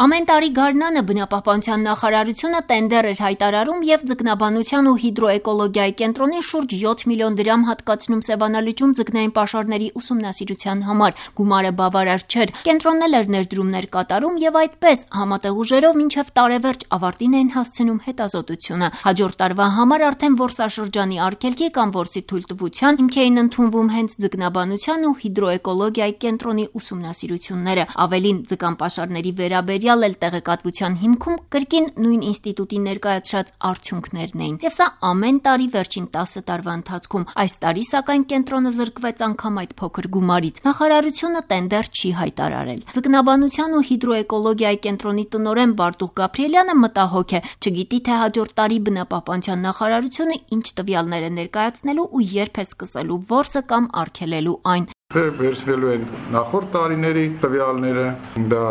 Ամեն տարի գարնանը բնապահպանության նախարարությունը տենդեր էր հայտարարում եւ ձկնաբանության ու հիդրոէկոլոգիայի կենտրոնին շուրջ 7 միլիոն դրամ հատկացնում Սևանալճում ձկնային պաշարների ուսումնասիրության համար։ Գումարը բավարար չէր։ Կենտրոնն էլ էր ներդրումներ կատարում եւ այդպես համատեղ ուժերով մինչեւ տարեվերջ ավարտին էին հասցնում հետազոտությունը։ Հաջորդ տարվա համար արդեն որսաշրջանի արգելքի կամ որսի թույլտվության հիմք էին ընդունվում հենց ձկնաբանության ու հիդրոէկոլոգիայի կենտրոնի ուսումնասիրությունները։ Ավելին, ձկան պաշարների վերաբերյալ էլ տեղեկատվության հիմքում կրկին նույն ինստիտուտի ներկայացրած արդյունքներն էին։ Եվ սա ամեն տարի վերջին 10 տարվա ընթացքում։ Այս տարի սակայն կենտրոնը զրկվեց անգամ այդ փոքր գումարից։ Նախարարությունը տենդեր չի հայտարարել։ Ձկնաբանության ու հիդրոէկոլոգիայի կենտրոնի տնօրեն Բարտուղ Գաբրիելյանը մտահոգ է։ Չգիտի, թե հաջորդ տարի բնապահպանության նախարարությունը ինչ տվյալներ է ներկայացնելու ու երբ է սկսելու որսը կամ արգելելու այն։ Վերցնելու են նախորդ տարիների տվյալները, դա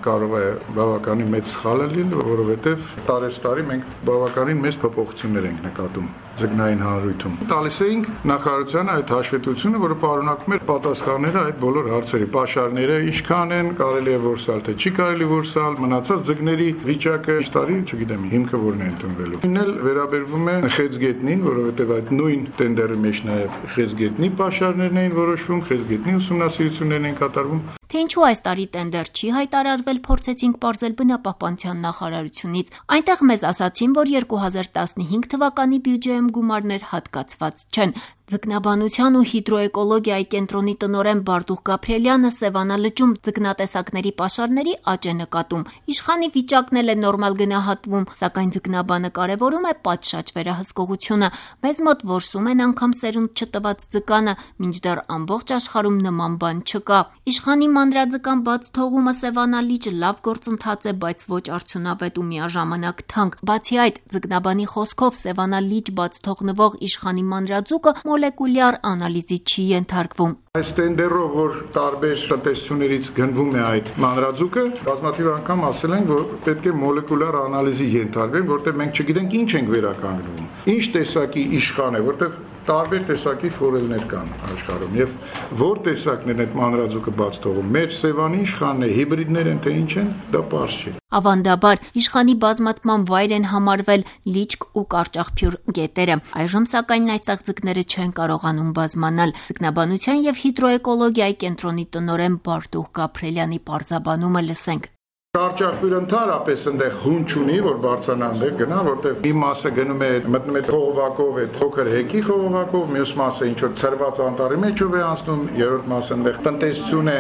կարող է բավականին մեծ սխալ լինել, որովհետև տարեստարի մենք բավականին մեծ փոփոխություններ ենք նկատում ձկնային հանրույթում։ Տալիս էինք նախարարությանը այդ հաշվետվությունը, որը պարունակում էր պատասխանները այդ բոլոր հարցերի։ Պաշարները ինչքան են, կարելի է որսալ, թե չի կարելի որսալ, մնացած ձկների վիճակը այս տարի, չգիտեմ, հիմքը որն է ընդունվելու։ Ինն էլ վերաբերվում է խեցգետնին, որովհետև այդ նույն տենդերի մեջ նաև խեցգետնի պաշարներն էին որոշվում, խեցգետնի ուսումնասիրություններն են կատարվում։ Թե ինչու այս տարի տենդեր չի հայտարարվել, փորձեցինք պարզել բնապահպանության նախարարությունից։ Այնտեղ մեզ ասացին, որ 2015 թվականի բյուջեում գումարներ հատկացված չեն։ Ձկնաբանության ու հիդրոէկոլոգիայի կենտրոնի տնօրեն Բարտուղ Գաբրիելյանը Սևանալճում ձկնատեսակների պաշարների աճ է նկատում։ Իշխանի վիճակն էլ է նորմալ գնահատվում, սակայն ձկնաբանը կարևորում է պատշաճ վերահսկողությունը։ Մեզ մոտ որսում են անգամ սերունդ չտված ձկանը, մինչդեռ ամբողջ աշխարհում նման բան չկա։ Իշխանի մանրաձկան բաց թողումը Սևանալիճ լավ գործընթաց է, բայց ոչ արդյունավետ ու միաժամանակ թանկ։ Բացի այդ, ձկնաբանի խոսքով Սևանալիճ բաց թողնվող իշխանի մանրաձուկը մոլեկուլյար անալիզի չի ենթարկվում։ Այս տենդերով, որ տարբեր տնտեսություններից գնվում է այդ մանրաձուկը, բազմաթիվ անգամ ասել են, որ պետք է մոլեկուլյար անալիզի ենթարկվեն, որտեղ մենք չգիտենք ինչ ենք վերականգնվում, ինչ տեսակի իշխան է, որտեղ տարբեր տեսակի ֆորելներ կան աշխարհում եւ որ տեսակն են այդ մանրաձուկը բաց թողում։ Մեր Սևանի իշխանն է, հիբրիդներ են, թե ինչ են, դա պարզ չէ։ Ավանդաբար իշխանի բազմացման վայր են համարվել Լիճք ու Կարճախփյուր գետերը։ Այժմ սակայն այստեղ ձկները չեն կարողանում բազմանալ։ Ձկնաբանության եւ հիդրոէկոլոգիայի կենտրոնի տնօրեն Բարտուղ Գաբրիելյանի պարզաբանումը լսենք։ Կարճախփյուրը ընդհանրապես այնտեղ հուն չունի, որ բարձրանա այնտեղ գնա, որտեղ մի մասը գնում է մտնում է խողովակով, այդ փոքր հեկի խողովակով, մյուս մասը ինչ որ ցրված անտառի մեջով է անցնում, երրորդ մասը այնտեղ տնտեսություն է։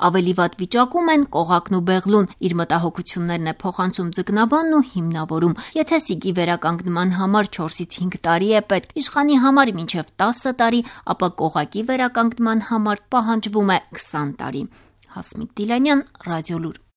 Ավելի վատ վիճակում են Կողակն ու Բեղլուն։ Իր մտահոգություններն է փոխանցում ձկնաբանն ու հիմնավորում։ Եթե սիկի վերականգնման համար 4-ից 5 տարի է պետք, իշխանի համար մինչև 10 տարի, ապա Կողակի վերականգնման համար պահանջվում է 20 տարի։ Հասմիկ Դիլանյան, Ռադիոլուր։